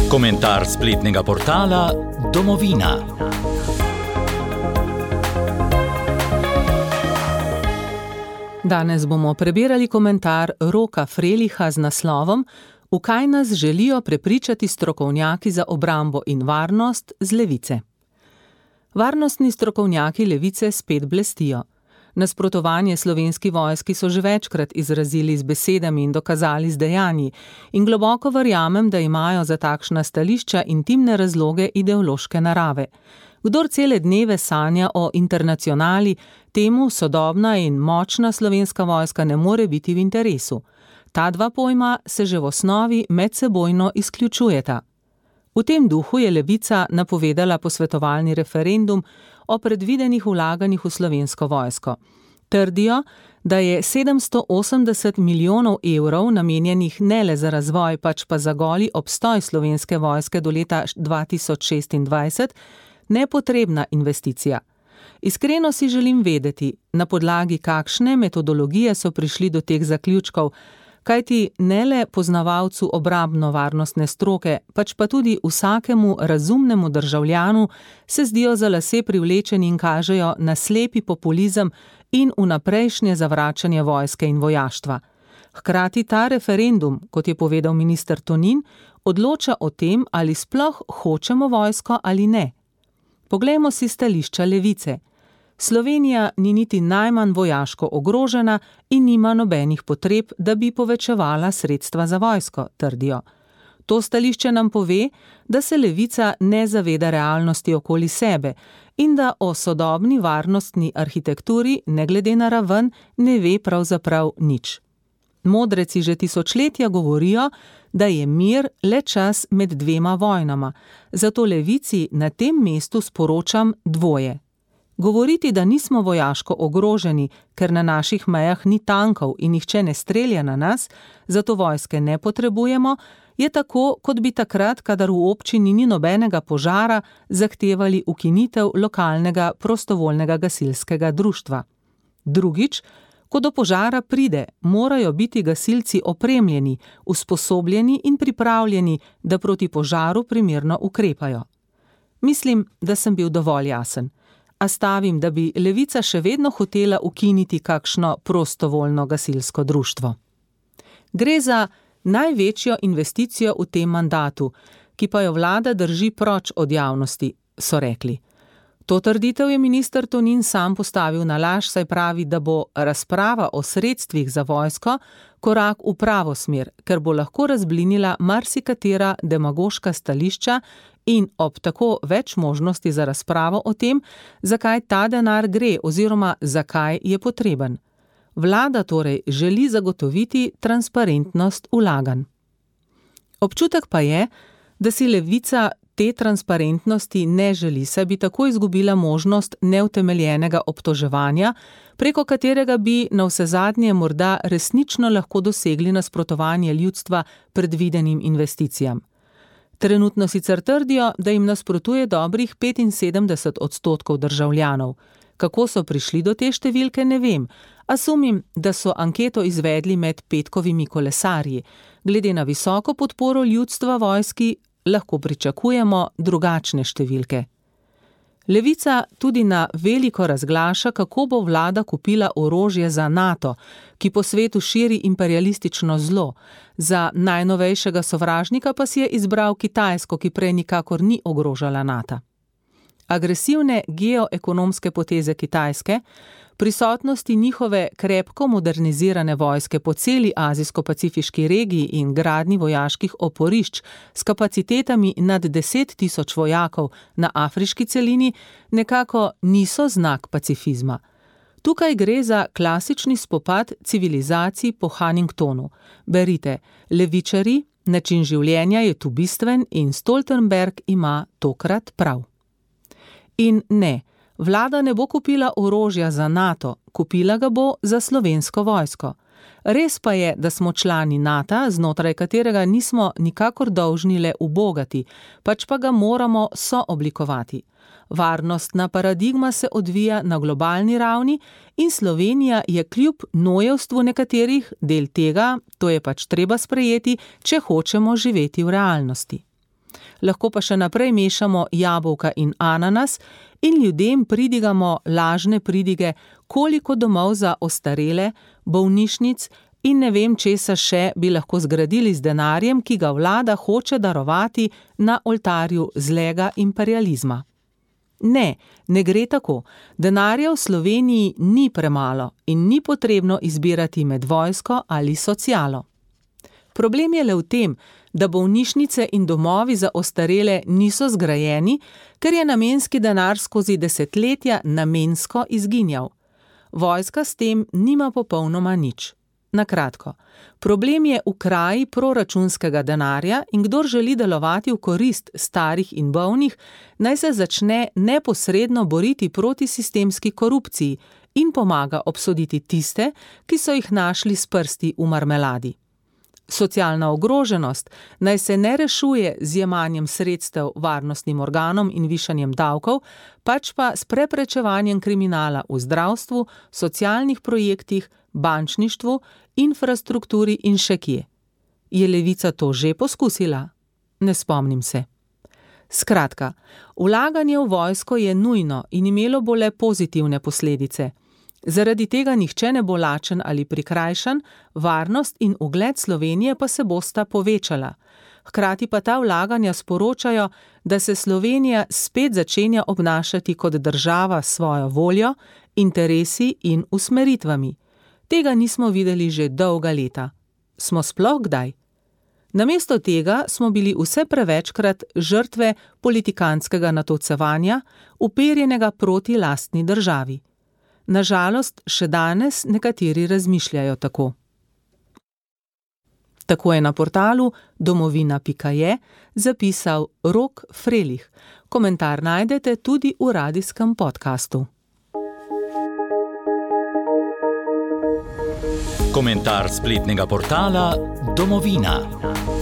Komentar spletnega portala Domovina. Danes bomo prebirali komentar Roka Freliha z naslovom V kaj nas želijo prepričati strokovnjaki za obrambo in varnost z levice. Varnostni strokovnjaki levice spet blestijo. Nasprotovanje Slovenski vojski so že večkrat izrazili z besedami in dokazali z dejanji in globoko verjamem, da imajo za takšna stališča intimne razloge ideološke narave. Kdor cele dneve sanja o internacionali, temu sodobna in močna Slovenska vojska ne more biti v interesu. Ta dva pojma se že v osnovi medsebojno izključujeta. V tem duhu je levica napovedala posvetovalni referendum o predvidenih vlaganjih v Slovensko vojsko. Trdijo, da je 780 milijonov evrov namenjenih ne le za razvoj, pač pa za goli obstoj Slovenske vojske do leta 2026, nepotrebna investicija. Iskreno si želim vedeti, na podlagi kakšne metodologije so prišli do teh zaključkov, kajti ne le poznavalcu obrambno-varnostne stroke, pač pa tudi vsakemu razumnemu državljanu se zdijo za lase privlečeni in kažejo na slepi populizem in vnaprejšnje zavračanje vojske in vojaštva. Hkrati ta referendum, kot je povedal minister Tonin, odloča o tem, ali sploh hočemo vojsko ali ne. Poglejmo si stališča levice. Slovenija ni niti najmanj vojaško ogrožena in nima nobenih potreb, da bi povečevala sredstva za vojsko, trdijo. To stališče nam pove, da se levica ne zaveda realnosti okoli sebe in da o sodobni varnostni arhitekturi, ne glede na raven, ne ve pravzaprav nič. Modreci že tisočletja govorijo, da je mir le čas med dvema vojnama, zato levici na tem mestu sporočam dvoje. Govoriti, da nismo vojaško ogroženi, ker na naših mejah ni tankov in nihče ne strelja na nas, zato vojske ne potrebujemo, je tako, kot bi takrat, kadar v občini ni nobenega požara, zahtevali ukinitev lokalnega prostovoljnega gasilskega društva. Drugič, ko do požara pride, morajo biti gasilci opremljeni, usposobljeni in pripravljeni, da proti požaru primerno ukrepajo. Mislim, da sem bil dovolj jasen. A stavim, da bi levica še vedno hotela ukiniti kakšno prostovoljno gasilsko društvo. Gre za največjo investicijo v tem mandatu, ki pa jo vlada drži proč od javnosti, so rekli. To trditev je minister Tonin sam postavil na laž, saj pravi, da bo razprava o sredstvih za vojsko korak v pravo smer, ker bo lahko razblinila marsikatera demagoška stališča in ob tako več možnosti za razpravo o tem, zakaj ta denar gre oziroma zakaj je potreben. Vlada torej želi zagotoviti transparentnost vlaganj. Občutek pa je, da si levica te transparentnosti ne želi, saj bi tako izgubila možnost neutemeljenega obtoževanja, preko katerega bi navsezadnje morda resnično lahko dosegli nasprotovanje ljudstva predvidenim investicijam. Trenutno sicer trdijo, da jim nasprotuje dobrih 75% državljanov. Kako so prišli do te številke, ne vem, a sumim, da so anketo izvedli med petkovimi kolesarji. Glede na visoko podporo ljudstva vojski lahko pričakujemo drugačne številke. Levica tudi na veliko razglaša, kako bo vlada kupila orožje za NATO, ki po svetu širi imperialistično zlo. Za najnovejšega sovražnika pa si je izbral Kitajsko, ki prej nikakor ni ogrožala NATO. Agresivne geoekonomske poteze Kitajske, prisotnosti njihove krepko modernizirane vojske po celi azijsko-pacifiški regiji in gradnji vojaških oporišč s kapacitetami nad 10.000 vojakov na afriški celini nekako niso znak pacifizma. Tukaj gre za klasični spopad civilizacij po Huntingtonu. Berite, levičari, način življenja je tu bistven in Stoltenberg ima tokrat prav. In ne, vlada ne bo kupila orožja za NATO, kupila ga bo za Slovensko vojsko. Res pa je, da smo člani NATO, znotraj katerega nismo nikakor dolžni le ubogati, pač pa ga moramo sooblikovati. Varnostna paradigma se odvija na globalni ravni in Slovenija je kljub nojevstvu nekaterih del tega, to je pač treba sprejeti, če hočemo živeti v realnosti. Lahko pa še naprej mešamo jabolka in ananas in ljudem pridigamo lažne pridige, koliko domov za ostarele, bolnišnic in ne vem česa še bi lahko zgradili z denarjem, ki ga vlada hoče darovati na oltarju zlega imperializma. Ne, ne gre tako. Denarja v Sloveniji ni premalo in ni potrebno izbirati med vojsko ali socialo. Problem je le v tem, da bolnišnice in domovi za ostarele niso zgrajeni, ker je namenski denar skozi desetletja namensko izginjal. Vojska s tem nima popolnoma nič. Na kratko, problem je v kraji proračunskega denarja in kdor želi delovati v korist starih in bolnih, naj se začne neposredno boriti proti sistemski korupciji in pomaga obsoditi tiste, ki so jih našli s prsti v marmeladi. Socialna ogroženost naj se ne rešuje z jemanjem sredstev varnostnim organom in višanjem davkov, pač pa s preprečevanjem kriminala v zdravstvu, socialnih projektih, bančništvu, infrastrukturi in še kje. Je Levica to že poskusila? Ne spomnim se. Skratka, vlaganje v vojsko je nujno in imelo bo le pozitivne posledice. Zaradi tega nihče ne bo lačen ali prikrajšan, varnost in ugled Slovenije pa se bosta povečala. Hkrati pa ta vlaganja sporočajo, da se Slovenija spet začenja obnašati kot država s svojo voljo, interesi in usmeritvami. Tega nismo videli že dolga leta. Smo sploh kdaj? Namesto tega smo bili vse prevečkrat žrtve politikantskega natolcevanja, uperjenega proti lastni državi. Nažalost, še danes nekateri razmišljajo tako. Tako je na portalu domovina.je zapisal Rok Frelih. Komentar najdete tudi v radijskem podkastu. Komentar spletnega portala Domovina.